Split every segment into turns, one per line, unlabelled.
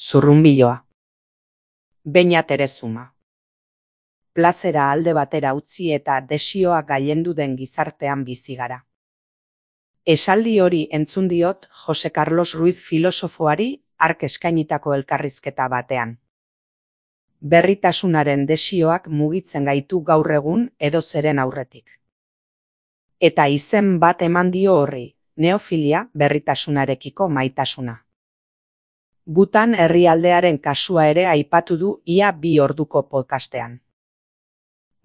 Zurrunbiloa. Beina Terezuma. Plazera alde batera utzi eta desioa gailendu den gizartean bizi gara. Esaldi hori entzun diot Jose Carlos Ruiz filosofoari hark eskainitako elkarrizketa batean. Berritasunaren desioak mugitzen gaitu gaur egun edozeren aurretik. Eta izen bat eman dio horri, neofilia, berritasunarekiko maitasuna. Butan herrialdearen kasua ere aipatu du ia 2 orduko podcastean.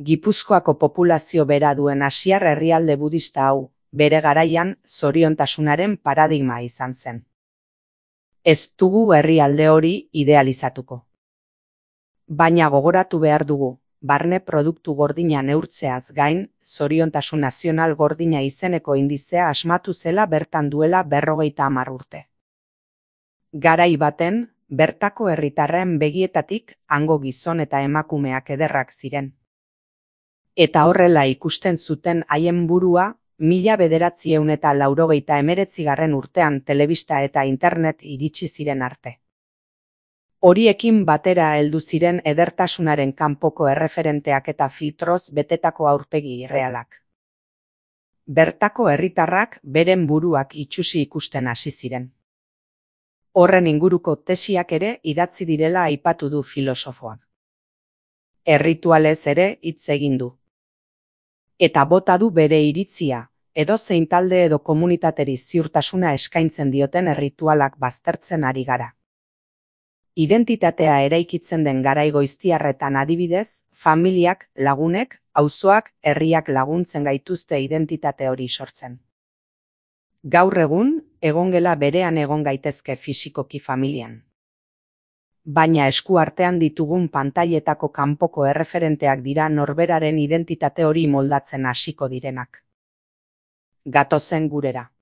Gipuzkoako populazio bera duen asiar herrialde budista hau, bere garaian zoriontasunaren paradigma izan zen. Ez dugu herrialde hori idealizatuko. Baina gogoratu behar dugu, barne produktu gordina neurtzeaz gain, zoriontasun nazional gordina izeneko indizea asmatu zela bertan duela 50 urte. Garai baten, bertako herritarren begietatik hango gizon eta emakumeak ederrak ziren. Eta horrela ikusten zuten haien burua 1989 urtean telebista eta internet iritsi ziren arte. Horiekin batera heldu ziren edertasunaren kanpoko erreferenteak eta filtroz betetako aurpegi irrealak. Bertako herritarrak beren buruak itsusi ikusten hasi ziren. Horren inguruko tesiak ere idatzi direla aipatu du filosofoak. Erritualez ere hitz egin du. Eta bota du bere iritzia, edozein talde edo komunitateri ziurtasuna eskaintzen dioten erritualak baztertzen ari gara. Identitatea eraikitzen den garai goiztiarretan adibidez, familiak, lagunek, auzoak, herriak laguntzen gaituzte identitate hori sortzen. Gaur egun, egongela berean egon gaitezke fisikoki familian. Baina esku artean ditugun pantailetako kanpoko erreferenteak dira norberaren identitate hori moldatzen hasiko direnak. Gatozen gurera.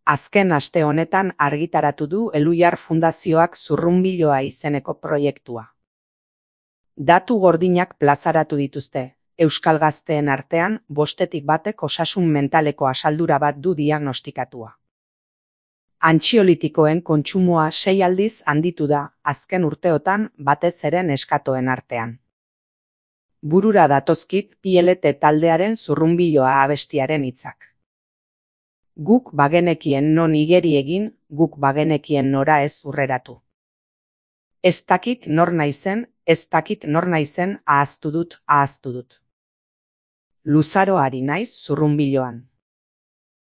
Azken aste honetan argitaratu du Eluiar Fundazioak Zurrunbiloa izeneko proiektua. Datu gordinak plazaratu dituzte, euskal gazteen artean 5tik batek osasun mentaleko asaldura bat du diagnostikatua. Antxiolitikoen kontsumoa 6 aldiz handitu da azken urteotan batez ere neskatoen artean. Burura datozkit PLT taldearen Zurrunbiloa abestiaren hitzak. Guk bagenekien non igeri egin, guk bagenekien nora ez urreratu. Ez dakit nor naizen, ahaztu dut. Luzaro ari naiz Zurrunbiloan.